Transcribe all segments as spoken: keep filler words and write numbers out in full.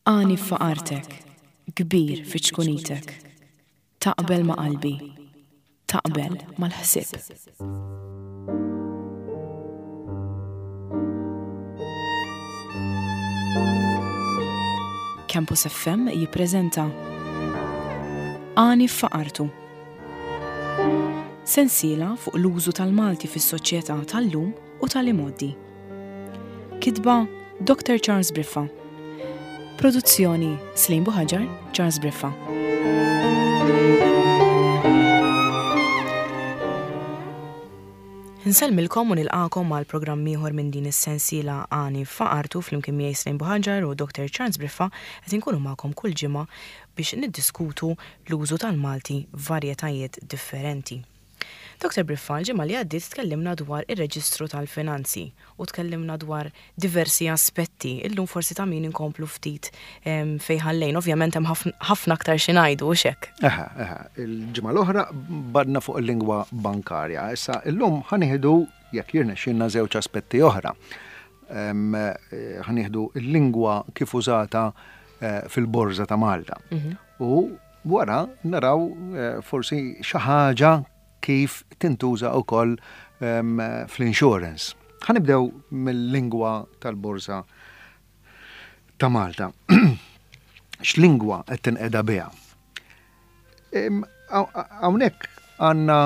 Għani f'faqartek, kbir fi ċkunitek. Taqbel ma' qalbi, taqbel mal-ħsieb. Campus F M jippreżenta Għani f'Faqartu. Sensiela fuq l-użu tal-Malti fis-soċjetà tal-lum u tal-imgħoddi. Kitba: Doctor Charles Briffa. Produzzjoni: Slim Buħaġar, Charles Briffa. Insellmilkom u nilqakom għal programm ieħor minn din is-sensiela Għani f'Faqartu. Flimkien miegħi Slim Buħaġar u Doctor Charles Briffa qed inkunu magħkom kull ġimgħa biex niddiskutu l-użu tal-Malti f'varjetajiet differenti. Doctor Briffa, l-ġimgħa li għaddiet tkellimna dwar ir-reġistru tal-finanzi u tkellimna dwar diversi aspetti. Illum forsi ta' min inkomplu ftit em, fejn ħallejna. Ovvjament hemm ħafna aktar xi ngħidu, u hekk. Eħe, eħe, il-ġimgħa l-oħra badna fuq il-lingwa bankarja. Issa illum ħa nieħdu, jekk jirnexxilna, żewġ aspetti oħra. Em, eh, Ħa nieħdu il-lingwa kif użata eh, fil-Borża ta' Malta. U wara naraw eh, forsi xi ħaġa kif tintuża wkoll em, fl-insurance. Ħa nibdew mill-lingwa tal-Borża ta' Malta. X'lingwa qed tinqeda biha? Em, haw- Hawnhekk għandna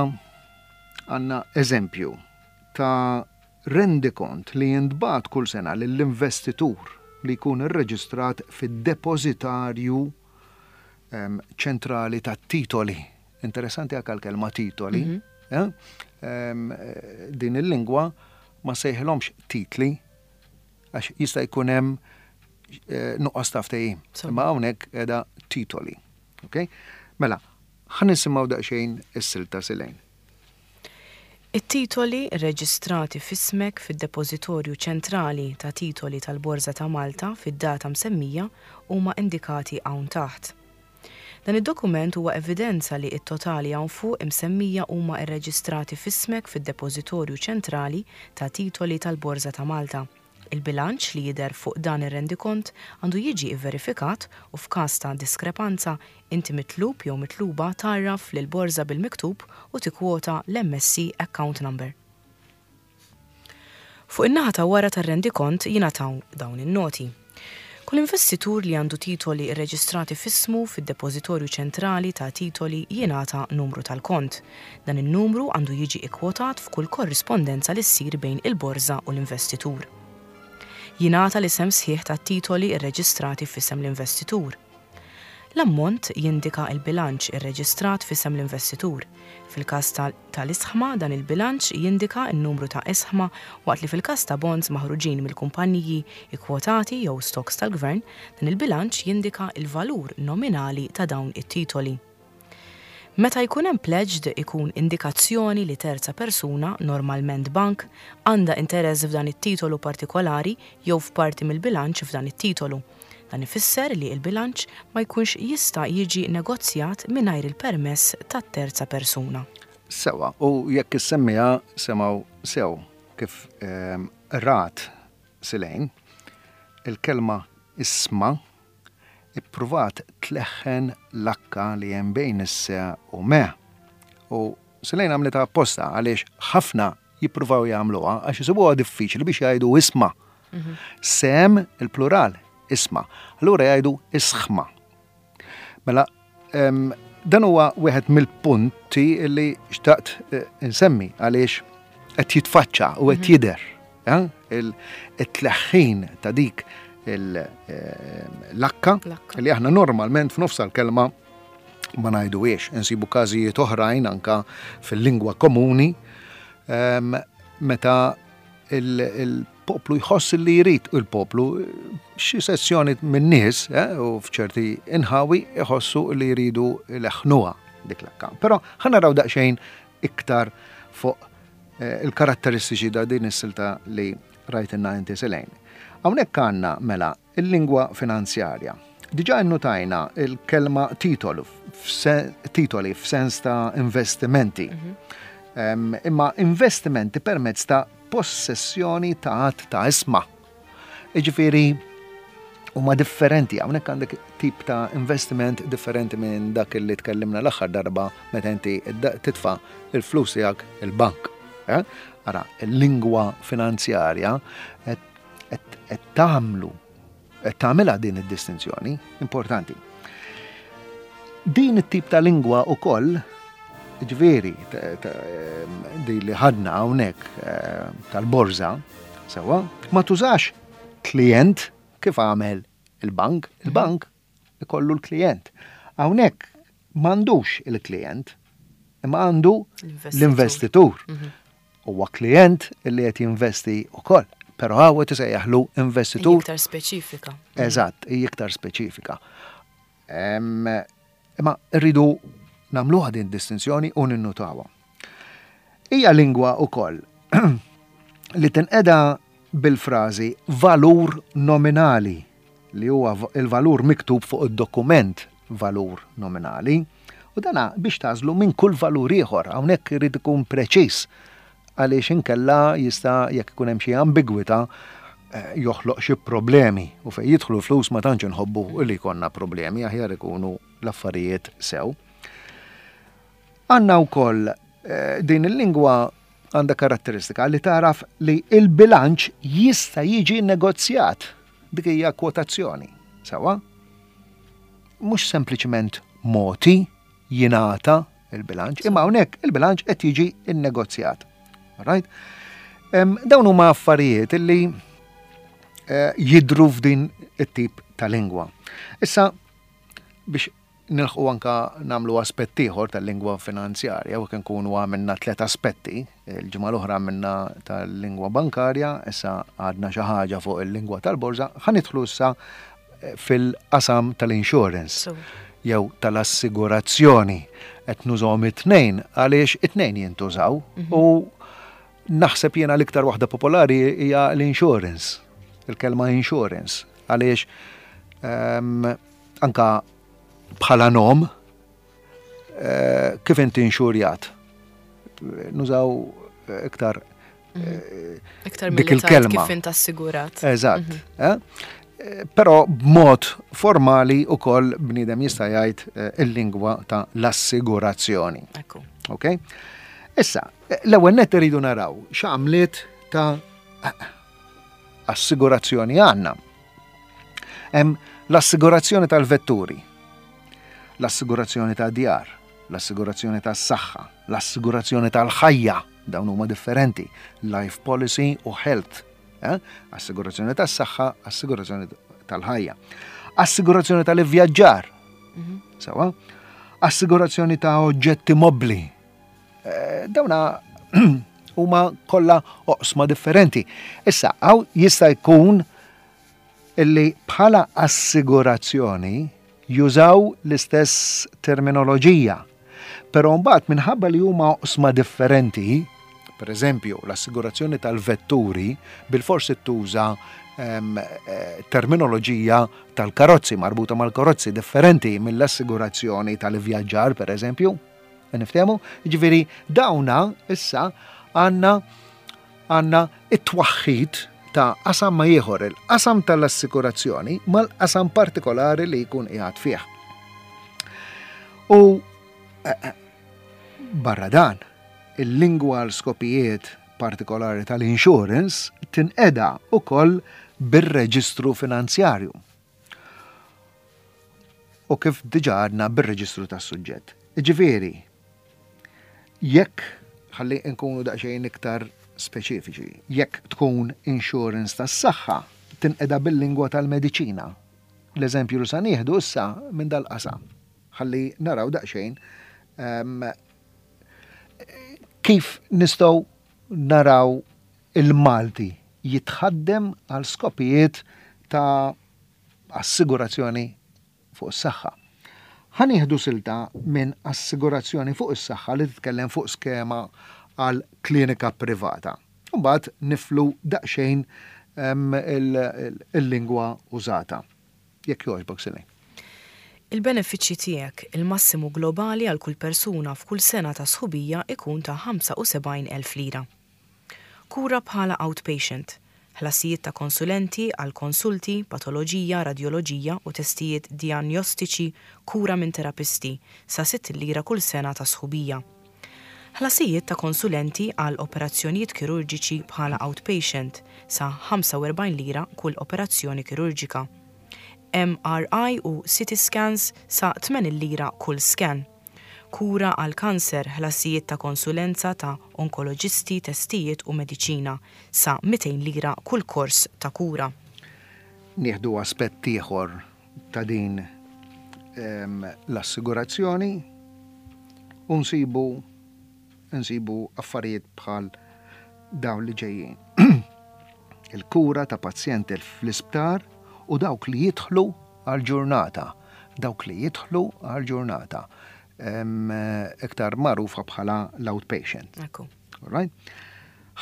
għandna eżempju ta' rendikont li jintbagħat kull sena lill-investitur li jkun irreġistrat fid-depozitarju em, ċentrali ta' titoli. Interessanti anke l-kelma titoli. eh? Em, eh, din il-lingwa ma sejħilhomx titli għax jista' jkun hemm eh, nuqqas ta' ftehim. So. Imma hawnhekk qiegħda titoli. Okay? Mela, ħa nisimgħu daqsxejn is-silta, Silejn. It-titoli reġistrati f'ismek fid-Depozitorju Ċentrali ta' Titoli tal-Borża ta' Malta fid-data msemmija huma indikati hawn taħt. Dan id-dokument huwa evidenza li it-totali hawn fuq imsemmija huma rreġistrati f'ismek fid-Depozitorju Ċentrali ta' Titoli tal-Borża ta' Malta. Il-bilanċ li jidher fuq dan ir-rendikont għandu jiġi verifikat u f'każ ta' diskrepanza inti mitlub jew mitluba tgħarraf lil borża bil-miktub u tikkwota l-M S C account number. Fuq in-naħa ta' wara tar-rendikont jingħataw dawn in-noti. Kull investitur li għandu titoli rreġistrati f'ismu fid-Depozitorju Ċentrali ta' Titoli jingħata numru tal-kont. Dan in-numru għandu jiġi ikkwotat f'kull korrispondenza li ssir bejn il-borża u l-investitur. Jingħata l-isem sħiħ ta' titoli rreġistrati f'isem l-investitur. L-ammont jindika il-bilanċ irreġistrat f'isem l-investitur. Fil-każ tal-isħma, dan il-bilanċ jindika n-numru ta' isħma, waqt li fil-każ ta' bonds maħruġin mill-kumpaniji ikkwotati jew stocks tal-gvern, dan il-bilanċ jindika il-valur nominali ta' dawn it-titoli. Meta jkun hemm pledged, ikun indikazzjoni li terza persuna, normalment bank, għandha interess f'dan it-titolu partikolari jew f'parti mill-bilanċ f'dan it-titolu. Dan ifisser li il-bilanċ ma jkunx jista' jiġi negozjat mingħajr il-permess tat-terza persuna. Sewa, u jekk issemmija semgħu sew kif ehm, rat Silejn, il-kelma isma ippruvat tleħħen l-akka li hemm bejn is-se u me. U Silejn għamlitha apposta għaliex ħafna jippruvaw jagħmluha għax isibuha diffiċli biex jgħidu isma. Sem il-plural, isma. Allura jgħidu isħma. Mela, em, dan huwa wieħed mill-punti li xtaqt eh, insemmi għaliex qed jitfaċċa u qed jidher, eh? Il- it-tleħħin ta' dik il- em, l-akka L-akka. li aħna normalment f'nofs l-kelma ma ngħiduhiex. Insibu każijiet oħrajn anka fil-lingwa komuni em, meta il- il-poplu jħoss li jrid, il-poplu, xi sezzjoni minn nies eh, u f'ċerti inħawi jħossu li jridu leħnuha dik l-akka. Però ħa naraw daqsxejn iktar fuq eh, il-karatteristiċi da din is-silta li rajtinna inti, Silejn. Hawnhekk għandna mela il-lingwa finanzjarja. Diġà innutajna il-kelma titolu, f'se- titoli f'sens ta' investimenti. Em, imma investimenti permezz ta' possessjoni ta' għadd ta' isma. Iġifieri, Huma differenti, hawnhekk għandek tip ta' investiment differenti minn dak li tkellimna l-aħħar darba meta inti titfa' il-flus tiegħek il-bank. Eh? Ara, il-lingwa finanzjarja qed tagħmlu qed tagħmilha din id-distinzjoni importanti. Din it-tip ta' lingwa ukoll, ġifieri, di li ħadna hawnhekk eh, tal-borża, sewwa, ma tużax klient kif għamel il-bank, il-bank ikollu l-klient. Hawnhekk m'għandux il-klient, imma għandu l-investitur. Mhm. Huwa klient li qed jinvesti ukoll. Però hawn qed isejjaħlu investitur. Iktar speċifika. Eżatt, iktar speċifika. Imma rridu nagħmluha din distinzjoni u ninnutawha. Hija lingwa ukoll li tinqeda bil-frażi valur nominali, li huwa il-valur miktub fuq id-dokument valur nominali, u dana biex tagħżlu minn kull valur ieħor. Hawnhekk irid ikun preċiż għaliex inkella jista' jekk ikun hemm xi ambigwità eh, joħloq xi problemi, u fejn jidħlu flus ma tantx inħobbu li jkollna problemi, aħjar ikunu l-affarijiet sew. Għandna wkoll eh, din il-lingwa għandha karatteristika li taraf li il-bilanċ jista' jiġi negozjat. Dik hija kwotazzjoni. Sewwa? Mhux sempliċement moti jingħata il-bilanċ, imma hawnhekk il-bilanċ qed jiġi innegozjat. Right? Dawn huma affarijiet illi eh, jidru f'din it-tip ta' lingwa. Issa biex nilħqu anka nagħmlu aspett ieħor tal-lingwa finanzjarja, u kien kunu għamilna tliet aspetti, il-ġimgħa l-oħra għamilna tal-lingwa bankarja, issa għadna xi ħaġa fuq il-lingwa tal-borża, ħa nidħlu issa eh, fil-qasam tal-insurance jew tal-assigurazzjoni. Qed nużahom it-tnejn għaliex it-tnejn jintużaw mhm. u naħseb jiena l-iktar waħda popolari hija l-insurance, il-kelma insurance, għaliex um, anka bħala nom eh, kif inti inxurjat. Nużaw iktar mhm. iktar dik il-kelma. Kif int assigurat. Eżatt. Mhm. Eh? Però b'mod formali ukoll bniedem jista' jgħid eh, il-lingwa ta' l-assigurazzjoni. Ekku. Ok? Issa, l-ewwel net iridu naraw x'għamliet ta' assigurazzjoni għandna. Hemm l-assigurazzjoni tal-vetturi, l-assigurazzjoni ta' djar, l-assigurazzjoni tas-saħħa, l-assigurazzjoni tal-ħajja, dawn huma differenti, life policy u health. Eh? Assigurazzjoni tas-saħħa, assigurazzjoni tal-ħajja. Assigurazzjoni tal-ivvjaġġar. Mhm. Sewwa? Assigurazzjoni ta' oġġetti mobli. Eh, dawna huma kollha oqsma differenti. Issa, hawn jista' jkun illi bħala assigurazzjoni jużaw l-istess terminoloġija. Però mbagħad minħabba li huma oqsma differenti, per eżempju, l-assigurazzjoni tal-vetturi bil-forsi tuża em, eh, terminoloġija tal-karozzi, marbuta mal-karozzi, differenti mill-assigurazzjoni tal-vjaġġar, per eżempju. Niftehmu? Ġifieri, dawna issa għandna għandna it-twaħħid ta' qasam ma' ieħor, il-qasam tal-assikurazzjoni mal-qasam partikolari li jkun qiegħed fih. U eh, eh, barra dan, il-lingwa għal skopijiet partikolari tal-insurance tinqeda ukoll bir-reġistru finanzjarju. U kif diġa għadna, bir-reġistru tas-suġġett. Ġifieri, jekk ħalli nkunu daqsxejn iktar speċifiċi, jekk tkun insurance tas-saħħa, tinqeda bil-lingwa tal-mediċina. L-eżempju li sa nieħdu issa minn dal-qasam. Ħalli naraw daqsxejn um, kif nistgħu naraw il-Malti jitħaddem għal skopijiet ta' assigurazzjoni fuq is-saħħa. Ħa nieħdu silta minn assigurazzjoni fuq is-saħħa li titkellem fuq skema għal klinika privata. Mbagħad niflu daqsxejn il-lingwa użata. Jekk jogħġbok, Silej. Il-benefiċċji tiegħek, il-massimu globali għal kull persuna f'kull sena ta' sħubija ikun ta' ħamsa u sebgħin elf lira. Kura bħala outpatient, Ħlasijiet ta' konsulenti għal konsulti, patoloġija, radjoloġija u testijiet dijanjostiċi, kura minn terapisti sa sitt lira kull sena ta' sħubija. Ħlasijiet ta' konsulenti għal operazzjonijiet kirurġiċi bħala outpatient sa ħamsa u erbgħin lira kull operazzjoni kirurġika. M R I u C T scans sa tmenin lira kull scan. Kura għal kanser, ħlasijiet ta' konsulenza ta' onkoloġisti, testijiet u mediċina sa mitejn lira kull kors ta' kura. Nieħdu aspett ieħor ta' din em, l-assigurazzjoni u nsibu nsibu affarijiet bħal dawn li ġejjin. Il-kura ta' pazjenti fl-isptar u dawk li jidħlu għal-ġurnata. Dawk li jidħlu għal-ġurnata. Em, Iktar magħrufa bħala l-outpatient. Ekku. Alright?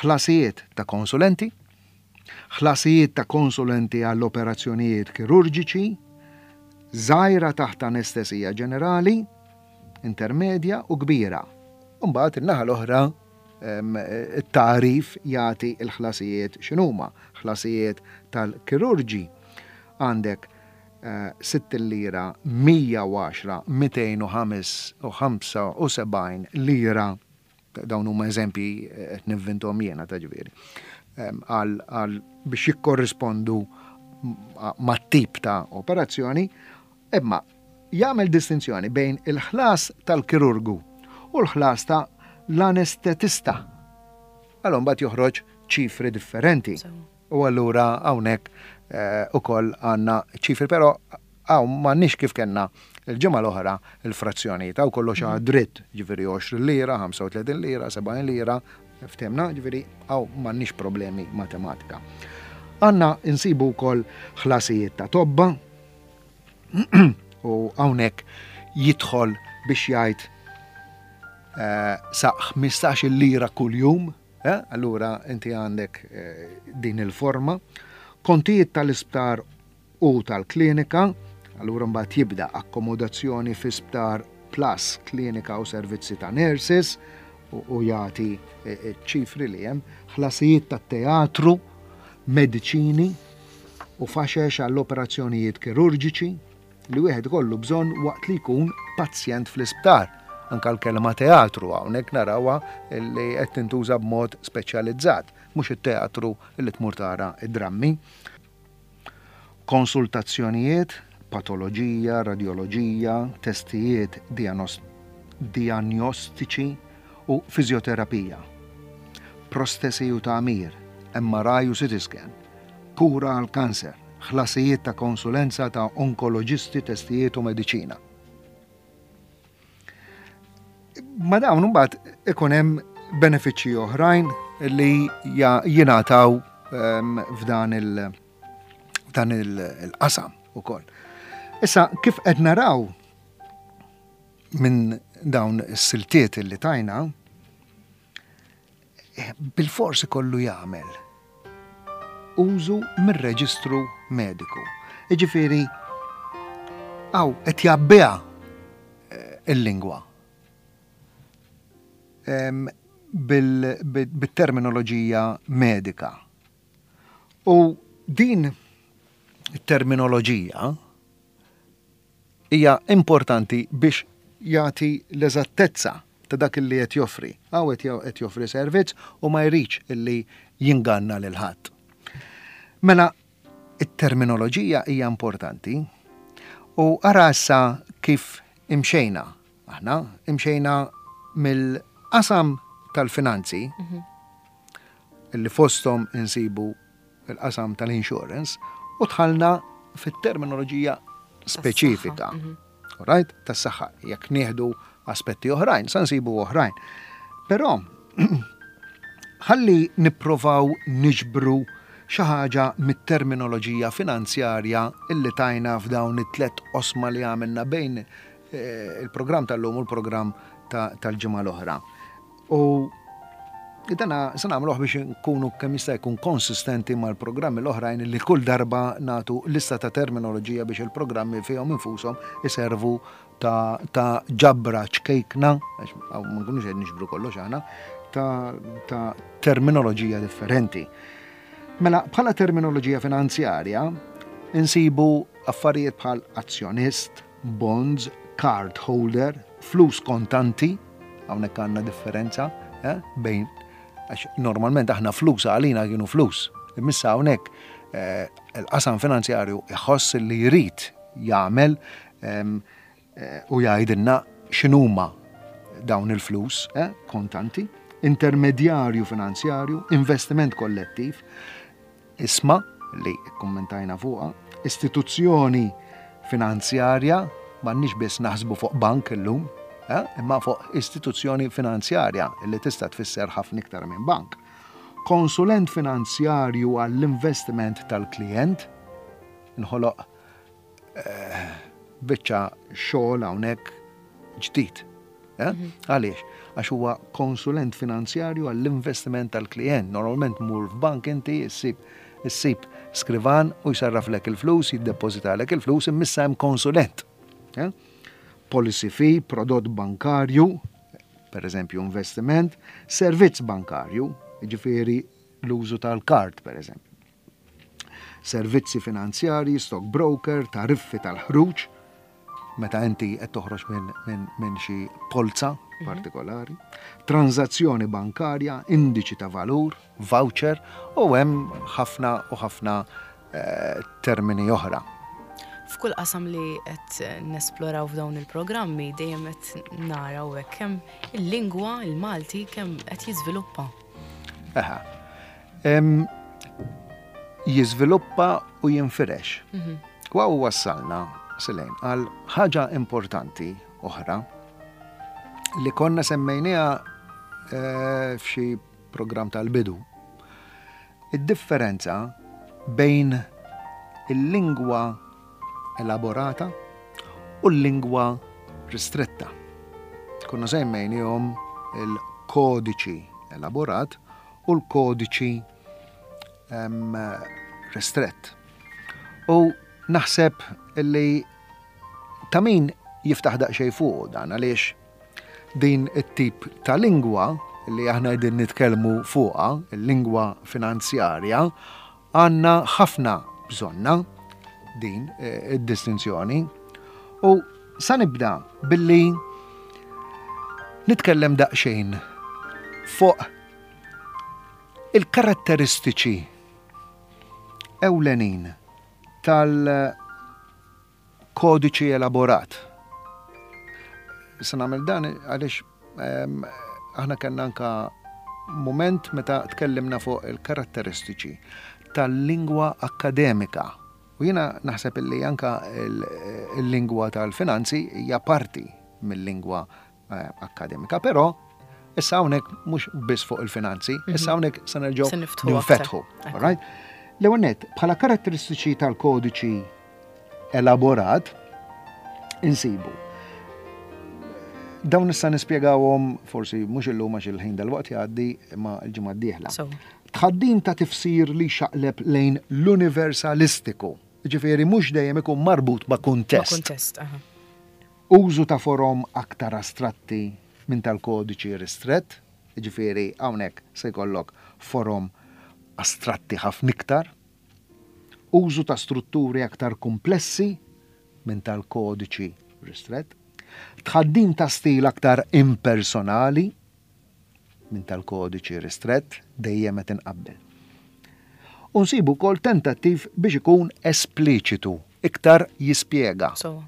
Ħlasijiet ta' konsulenti, ħlasijiet ta' konsulenti għall-operazzjonijiet kirurġiċi, żgħira taħt anestesija ġenerali, intermedja u kbira. Mbagħad in-naħa l-oħra em, it-tarif jagħti l-ħlasijiet x'inhuma. Ħlasijiet tal-kirurġi għandek eh, sitt lira, mija u għaxra, mitejn u ħamsa u sebgħin lira, dawn huma eżempji eh, qed nivvinthom jiena ta' ġifieri, em, għal għal biex jikkorrispondu mat-tip ta' operazzjoni, imma jagħmel distinzjoni bejn il-ħlas tal-kirurgu u l-ħlas ta' l-anestetista. Allora mbagħad joħroġ ċifri differenti. Sewa. U allura hawnhekk eh, ukoll għandna ċifri, però hawn m'għandniex kif kellna il-ġimgħa l-oħra il-frazzjonijiet, hawn kollox mm dritt, ġifieri għoxrin lira, ħamsa u tletin lira, sebgħin lira, ftehimna, ġifieri hawn m'għandniex problemi matematika. Għandna insibu wkoll ħlasijiet ta' tobba u hawnhekk jidħol biex jgħid eh, sa ħmistax-il lira kuljum, eh? Allura inti għandek eh, din il-forma. Kontijiet tal-isptar u tal-klinika, allura mbagħad jibda akkomodazzjoni fi sptar plus klinika u servizzi ta' nurses u, u jagħti eh, eh, ċifri li hemm, ħlasijiet tat-teatru, mediċini u faxex għall-operazzjonijiet kirurġiċi li wieħed kollu bżonn waqt li jkun pazjent fl-isptar. Anka l-kelma teatru hawnhekk narawha li qed tintuża b'mod speċjalizzat, mhux it-teatru li tmur tara id-drammi. Konsultazzjonijiet, patoloġija, radjoloġija, testijiet dianos- diagnostiċi u fiżjoterapija. Prostesi u tagħmir, M R I u C T scan, kura għal kanser, ħlasijiet ta' konsulenza ta' onkoloġisti, testijiet u mediċina. Ma dawn mbagħad ikun hemm benefiċċji oħrajn li ja- jingħataw em, f'dan il- f'dan il- il-qasam ukoll. Issa kif qed naraw minn dawn is-siltiet li tajna, eh, bil-fors ikollu jagħmel użu mir-reġistru mediku. Iġifieri hawn qed jgħabbiha eh, il-lingwa Em, bil- bil- bit-terminoloġija medika. U din it-terminoloġija hija importanti biex jagħti l-eżattezza ta' dak li qed joffri. Hawn qed jo- qed joffri servizz u ma jridx illi jinganna lil ħadd. Mela, it-terminoloġija hija importanti u ara issa kif imxejna. Aħna imxejna mill-qasam tal-finanzi illi fosthom insibu il-qasam tal-insurance u dħalna fit-terminoloġija speċifika. Right? Tas-saħħa. Jekk nieħdu aspetti oħrajn, sa nsibu oħrajn. Però ħalli nipprovaw niġbru xi ħaġa mit-terminoloġija finanzjarja illi tajna f'dawn it-tlet osma li għamilna bejn eh, il-programm tal-lum u l-programm ta- tal-ġimgħa l-oħra. U dana se nagħmluh biex nkunu kemm jista' jkun konsistenti mal-programmi l-oħrajn li kull darba nagħtu lista ta' terminoloġija biex il-programmi fihom infushom iservu ta', ta' ġabra ċkejkna, għax hawn ma nkunux qed niġbru kollox aħna, ta', ta' terminoloġija differenti. Mela, bħala terminoloġija finanzjarja, insibu affarijiet bħal azzjonist, bonds, card holder, flus kontanti, hawnhekk għandna differenza eh, bejn, għax normalment aħna flus għalina kienu flus. Imma issa hawnhekk eh, il-qasam finanzjarju iħoss li jrid jagħmel em, eh, u jgħidilna x'inhuma dawn il-flus eh, kontanti, intermedjarju finanzjarju, investiment kollettiv, ishma li kommentajna fuqha, istituzzjoni finanzjarja, m'għandniex biss naħsbu fuq bank illum, eh, imma fuq istituzzjoni finanzjarja li tista' tfisser ħafna iktar minn bank. Konsulent finanzjarju għall-investiment tal-klient, inħoloq eh, biċċa xogħol hawnhekk ġdid. Eh? Għaliex? Għax huwa konsulent finanzjarju għall-investiment tal-klient. Normalment mur f'bank inti issib issib skrivan u jsarraflek il-flus, jiddepozitalek il-flus, imma issa hemm konsulent. Eh? Policy fee, prodott bankarju, per eżempju investiment, servizz bankarju, ġifieri l-użu tal-kard, per eżempju. Servizzi finanzjarji, stock broker, tariffi tal-ħruġ, meta inti qed toħroġ minn min, min xi polza partikolari, tranzazzjoni bankarja, indiċi ta' valur, voucher, u hemm ħafna u ħafna eh, termini oħra. F'kull qasam li qed nesploraw f'dawn il-programmi dejjem qed naraw hekk kemm il-lingwa, il-Malti, kemm qed jiżviluppa. Eħa. Em, jiżviluppa u jinfirex. U hawn wassalna, Selene, għal ħaġa importanti oħra li konna semmejniha eh, f'xi program tal-bidu. Id-differenza bejn il-lingwa elaborata u l-lingwa ristretta. Konna semmejnihom il-kodiċi elaborat u l-kodiċi em, ristrett. U naħseb li ta' min jiftaħ daqsxejn fuq dan, għaliex din it-tip ta' lingwa li aħna qegħdin nitkellmu fuqha, il-lingwa finanzjarja, għandna ħafna bżonna din eh, id-distinzjoni. U sa nibda billi nitkellem daqsxejn fuq il-karatteristiċi ewlenin tal-kodiċi elaborat. Se nagħmel dan għaliex em, aħna kellna anka moment meta tkellimna fuq il-karatteristiċi tal-lingwa akademika. U jiena naħseb illi anka il-lingwa tal-finanzi hija parti mill-lingwa eh, akademika, però issa hawnhekk mhux biss fuq il-finanzi, issa hawnhekk se nerġgħu Se niftħu ninfetħu. aktar. All right? L-ewwel nett, bħala karatteristiċi tal-kodiċi elaborat insibu. Dawn issa nispjegawhom forsi mhux illum għax il-ħin dal-waqt jgħaddi, imma l-ġimgħa d-dieħla. So. Tħaddim ta' tifsir li xaqleb lejn l-universalistiku. Ġifieri mhux dejjem ikun marbut ma' kuntest. Ma' kuntest, aha. Użu ta' forom aktar astratti minn tal-kodiċi ristrett, ġifieri hawnhekk se jkollok forom astratti ħafna iktar. Użu ta' strutturi aktar komplessi minn tal-kodiċi ristrett. Tħaddim ta' stil aktar impersonali minn tal-kodiċi ristrett, dejjem qed inqabbel. U nsibu wkoll tentattiv biex ikun espliċitu, iktar jispjega, So.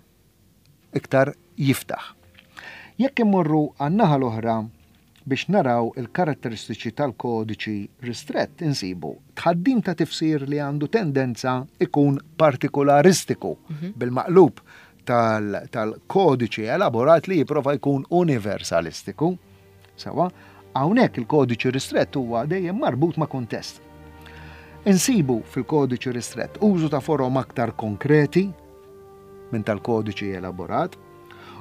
iktar jiftaħ. Jekk immorru għan-naħa l-oħra biex naraw il-karatteristiċi tal-kodiċi ristrett, insibu tħaddim ta' tifsir li għandu tendenza ikun partikolaristiku, Mhm. bil-maqlub tal-, tal-kodiċi elaborat li jipprova jkun universalistiku. Sawa, hawnhekk il-kodiċi ristrett huwa dejjem marbut ma' kuntest. Insibu fil-kodiċi ristrett użu ta' forom aktar konkreti minn tal-kodiċi elaborat,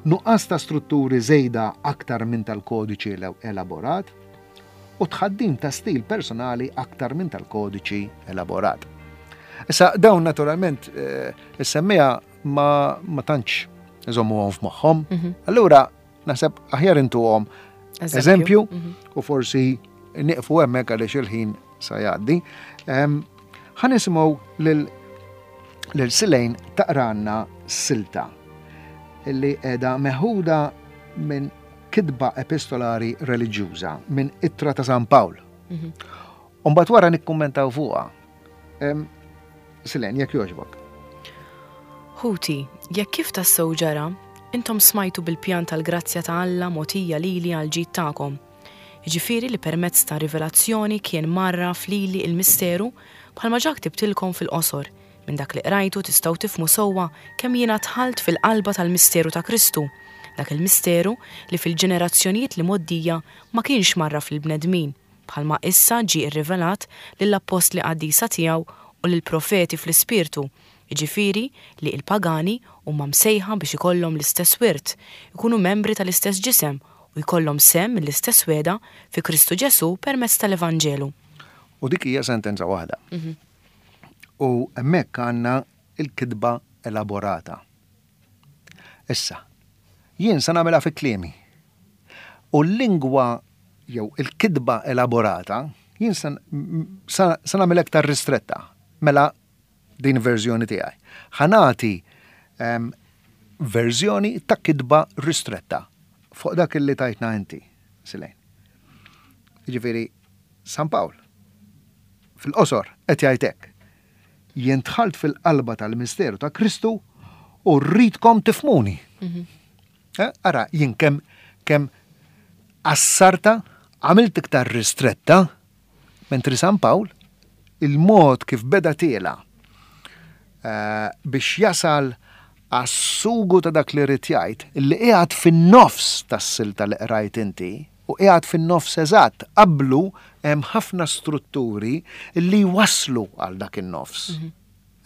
nuqqas ta' strutturi żejda aktar minn tal-kodiċi elaborat u tħaddim ta' stil personali aktar minn tal-kodiċi elaborat. Issa dawn naturalment, eh, is-semmija ma, ma tantx iżommuhom f'moħħhom. Mhm. Allura naħseb aħjar intuhom Eżempju. eżempju Mhm. u forsi nieqfu hemmhekk għaliex il-ħin sa jgħaddi. Em, Ħa nisimgħu lil lil Silejn taqranna silta illi qiegħda meħuda minn kitba epistolari reliġjuża minn ittra ta' San Pawl. Mhm. U mbagħad wara nikkummentaw fuqha. Silejn, jekk jogħġbok. Ħuti, jekk kif tassew ġara, intom smajtu bil-pjan tal-grazzja ta' Alla mogħtija lili għal ġid tagħkom. Jiġifieri li permezz ta' rivelazzjoni kien mgħarraf lili il-misteru bħalma ġa ktibtilkom fil-qosor. Minn dak li qrajtu tistgħu tifhmu sewwa kemm jiena dħalt fil-qalba tal-misteru ta' Kristu. Dak il-misteru li fil-ġenerazzjonijiet li mgħoddija ma kienx mgħarraf lill-bnedmin, bħalma issa ġie rrivelat lill-appostli qaddisa tiegħu u lill-profeti fl-ispirtu, jiġifieri li l-pagani huma msejħa biex ikollhom l-istess wirt, ikunu membri tal-istess ġisem u jkollhom sehem mill-istess wegħda fi Kristu Ġesu permezz tal-Evanġelu. U dik hija sentenza waħda. Mhm. U hemmhekk għandna il-kitba elaborata. Issa, jien sa nagħmilha fi kliemi. U l-lingwa jew il-kitba elaborata, jien sa nagħmel aktar ristretta. Mela din verżjoni tiegħi. Ħa nagħti verżjoni ta' kitba ristretta fuq dak li tajtna inti, Silejn. Jiġifieri San Pawl fil-qosor qed jgħid hekk. Jien dħalt fil-qalba tal-misteru ta' Kristu u rridkom tifhmuni. Mhm. Eh, ara, jien kemm kemm qassartha, għamilt iktar ristretta, mentri San Pawl il-mod kif beda tiela eh, biex jasal għas-sugu ta' dak li ried jgħid, li qiegħed fin-nofs tas-silta li qrajt inti, u qiegħed fin-nofs eżatt, qablu hemm ħafna strutturi li waslu għal dak in-nofs. Mhm.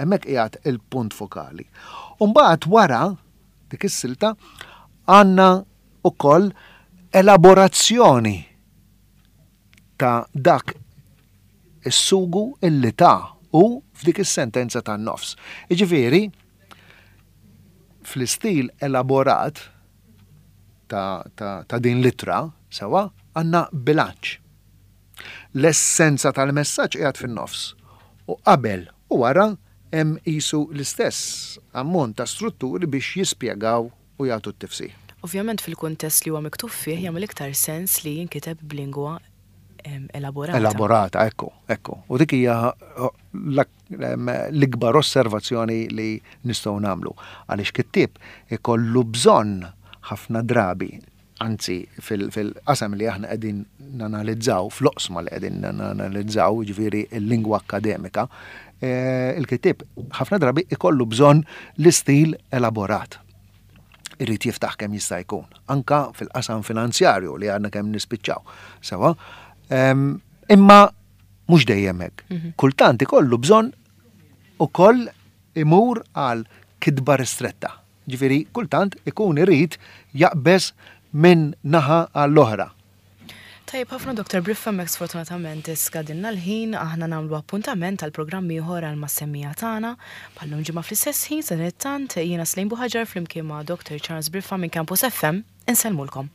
Hemmhekk qiegħed il-punt fokali. U mbagħad wara dik is-silta għandna ukoll elaborazzjoni ta' dak is-sugu illi ta' u f'dik is-sentenza tan-nofs. Jiġifieri, fl-istil elaborat ta', ta, ta' din l-ittra, sewwa, għandna bilanċ. L-essenza tal-messaġġ qiegħed fin-nofs. U qabel u wara hemm qisu l-istess ammont ta' strutturi biex jispjegaw u jagħtu t-tifsir. Ovvjament fil-kuntest li huwa miktub fih jagħmel iktar sens li jinkiteb b'lingwa elaborata. Elaborata, ekku, ekku. U dik hija l-ikbar osservazzjoni li nistgħu nagħmlu. Għaliex kittieb ikollu bżonn ħafna drabi, anzi fil-qasam li aħna qegħdin nanalizzaw, fl-oqsma li qegħdin nanalizzaw, ġifieri l-lingwa akkademika, eh, il-kittieb ħafna drabi ikollu bżonn l-istil elaborat. Irrid jiftaħ kemm jista' jkun, anka fil-qasam finanzjarju li għandna kemm nispiċċaw. Sewwa, imma mhux dejjem hekk. Mhm. Kultant ikollu bżonn ukoll imur għal kitba ristretta. Ġifieri kultant ikun irid jaqbeż minn naħa għall-oħra. Tajjeb ħafna Doktor Briffa, mek sfortunatament skadinna l-ħin, aħna nagħmlu appuntament għal programm ieħor għal mas-semmiegħa tagħna bħallum ġimgħa fl-istess ħin. Sadanittant jiena Slejn Buħaġar flimkien ma' Doktor Charles Briffa minn Campus F M insellmulkom.